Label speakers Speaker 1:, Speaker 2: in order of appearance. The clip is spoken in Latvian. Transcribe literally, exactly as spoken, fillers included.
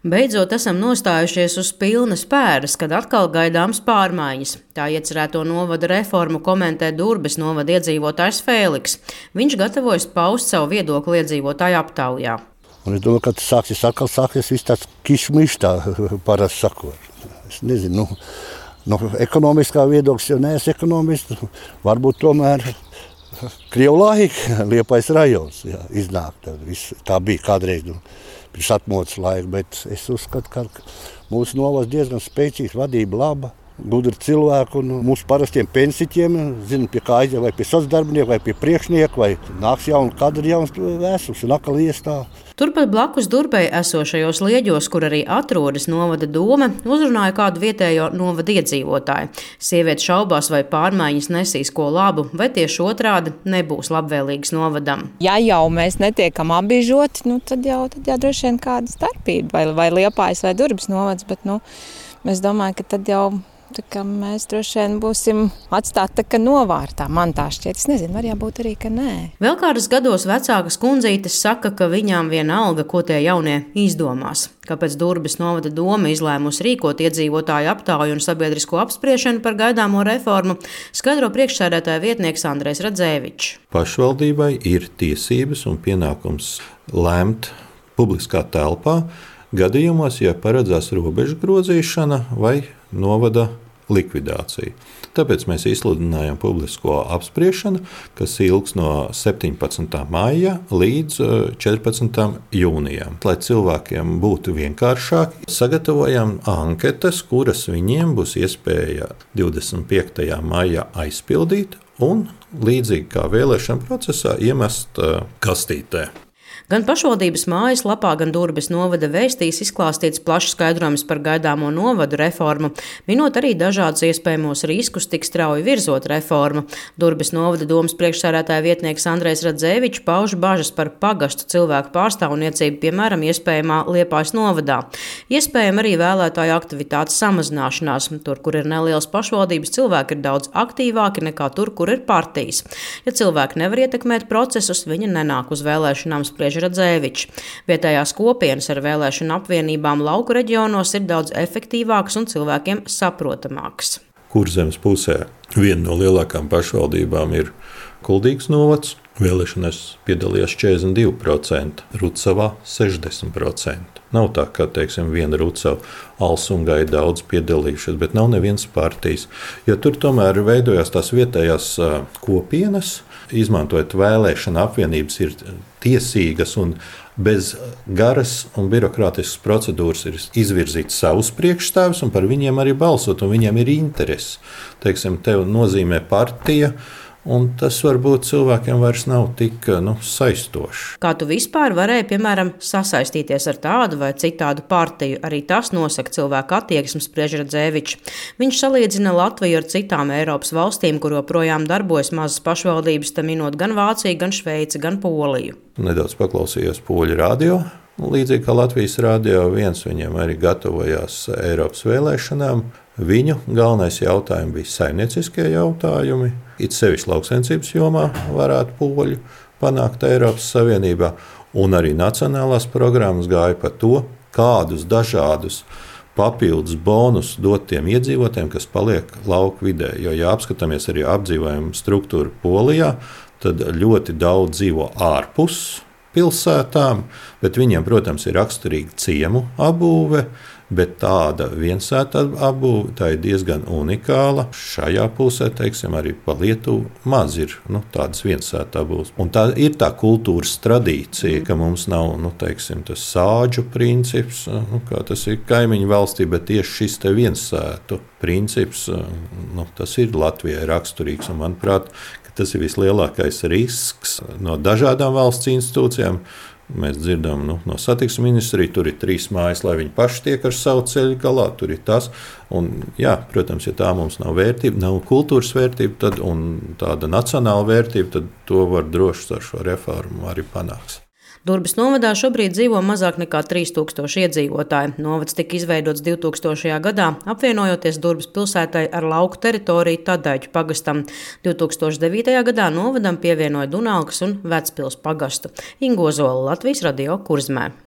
Speaker 1: Beidzot esam nostājušies uz pilnas pēdas, kad atkal gaidāms pārmaiņas. Tā iecerēto novada reformu komentē Durbes novada iedzīvotājs Fēliks. Viņš gatavojas paust savu viedokli iedzīvotāju aptaujā.
Speaker 2: Un es domāju, ka tas sāksies atkal sāksies viss tāds kišmišs, tā parasti sakot. Es nezinu, nu, no ekonomiskā viedokļa jau neesmu ekonomists, varbūt tomēr Krievu laika, Liepājas rajons, jā, iznāk. Tā, viss, tā bija kādreiz, nu, pirms atmodas laika, bet es uzskatu, ka mūsu novads diezgan spēcīgs, vadība laba, gudri cilvēki un mūsu parastiem pensiķiem, zinu, pie kā aiziet, vai pie socdarbinieku, vai pie priekšnieku, vai nāks jauni kadri, jauns vēstures un atkal iestāv.
Speaker 1: Turpat blakus Durbei esošajos Lieģos, kur arī atrodas novada doma, uzrunāja kādu vietējo novada iedzīvotāju. Sieviete šaubās, vai pārmaiņas nesīs ko labu, vai tieši otrādi nebūs labvēlīgas novadam.
Speaker 3: Ja jau mēs netiekam apbiežoti, nu, tad jau, tad jau droši vien kāda starpība, vai, vai Liepājas vai Durbes novads, bet nu, es domāju, ka tad jau tā kā mēs droši vien būsim atstāti tā kā novārtā. Man tā šķiet, es nezinu, var jābūt arī, ka nē.
Speaker 1: Vēl kādas gados vecākas kundzītes saka, ka viņām vienalga, ko tie jaunie izdomās. Kāpēc Durbes novada doma izlēmusi rīkot iedzīvotāju aptauju un sabiedrisko apspriešanu par gaidāmo reformu, skaidro priekšsēdētāja vietnieks Andrejs Radzēvičs.
Speaker 4: Pašvaldībai ir tiesības un pienākums lēmt publiskā telpā gadījumos, ja paredzās robežu grozīšana vai novada likvidācija. Tāpēc mēs izsludinājām publisko apspriešanu, kas ilgs no septiņpadsmitā maija līdz četrpadsmitam jūnijam. Lai cilvēkiem būtu vienkāršāk, sagatavojam anketas, kuras viņiem būs iespēja divdesmit piektajā maijā aizpildīt un līdzīgi kā vēlēšana procesā iemest kastītē.
Speaker 1: Gan pašvaldības mājaslapā, gan Durbes novada vēstīs izklāstīts plašs skaidrojums par gaidāmo novadu reformu, minot arī dažādus iespējamos riskus tik strauji virzot reformu. Durbes novada domas priekšsēdētāja vietnieks Andrejs Radzēvičs pauž bažas par pagastu cilvēku pārstāvniecību, piemēram, iespējamā Liepājas novadā. Iespējama arī vēlētāju aktivitātes samazināšanās. Tur, kur ir nelielas pašvaldības, cilvēki ir daudz aktīvāki nekā tur, kur ir partijas. Ja cilvēki nevar ietekmēt procesus, viņi nenāk uz vēlēšanām, spriež Radzēvičs. Vietējās kopienas ar vēlēšanu apvienībām lauku reģionos ir daudz efektīvākas un cilvēkiem saprotamākas.
Speaker 4: Kurzemes pusē viena no lielākām pašvaldībām ir Kuldīgas novads. Vēlēšanās piedalījās četrdesmit divi procenti, Rucavā sešdesmit procenti. Nav tā, ka, teiksim, viena Rucava Alsungai daudz piedalījušies, bet nav nevienas partijas. Jo tur tomēr veidojās tās vietējās kopienas, izmantojot vēlēšana apvienības, ir tiesīgas un bez garas un birokrātiskas procedūras ir izvirzīt savus priekšstāvus un par viņiem arī balsot, un viņiem ir interesi. Teiksim, tev nozīmē partija, un tas varbūt cilvēkiem vairs nav tik nu, saistoši.
Speaker 1: Kā tu vispār varēji, piemēram, sasaistīties ar tādu vai citādu partiju? Arī tas nosaka cilvēku attieksmes, spriež Radzēvičs. Viņš salīdzina Latviju ar citām Eiropas valstīm, kur joprojām darbojas mazas pašvaldības, tam minot gan Vāciju, gan Šveici, gan Poliju.
Speaker 4: Nedaudz paklausījos poļu radio. Līdzīgi kā Latvijas radio viens, viņiem arī gatavojās Eiropas vēlēšanām. Viņu galvenais jautājums bija saimnieciskie jautājumi. It sevišķi lauksaimniecības jomā varētu poļu panākt Eiropas Savienībā. Un arī nacionālās programmas gāja par to, kādus dažādus papildus bonus dot tiem iedzīvotājiem, kas paliek lauku vidē. Jo, ja apskatāmies arī apdzīvojumu struktūru Polijā, tad ļoti daudz dzīvo ārpus pilsētām, bet viņiem, protams, ir raksturīga ciemu apbūve, bet tāda viensēta apbūve, tā ir diezgan unikāla. Šajā pusē, teiksim, arī pa Lietuvu maz ir nu, tādas viensēta apbūves. Un tā ir tā kultūras tradīcija, ka mums nav, nu, teiksim, tas sāģu princips, nu, kā tas ir kaimiņu valstī, bet tieši šis te viensētu princips, nu, tas ir Latvijai raksturīgs, un manuprāt, tas ir vislielākais risks no dažādām valsts institūcijām. Mēs dzirdam nu, no satiksmes ministrija, tur ir trīs mājas, lai viņi paši tiek ar savu ceļu galā. Tur ir tas. Un, jā, protams, ja tā mums nav vērtība, nav kultūras vērtība tad, un tāda nacionāla vērtība, tad to var droši ar šo reformu arī panākt.
Speaker 1: Durbes novadā šobrīd dzīvo mazāk nekā trīs tūkstoši iedzīvotāji. Novads tika izveidots divtūkstošajā gadā, apvienojoties Durbes pilsētai ar lauku teritoriju Tadaiķu pagastam. divtūkstoš devītajā gadā novadam pievienoja Dunalkas un Vecpils pagastu. Inga Ozola, Latvijas radio Kurzmē.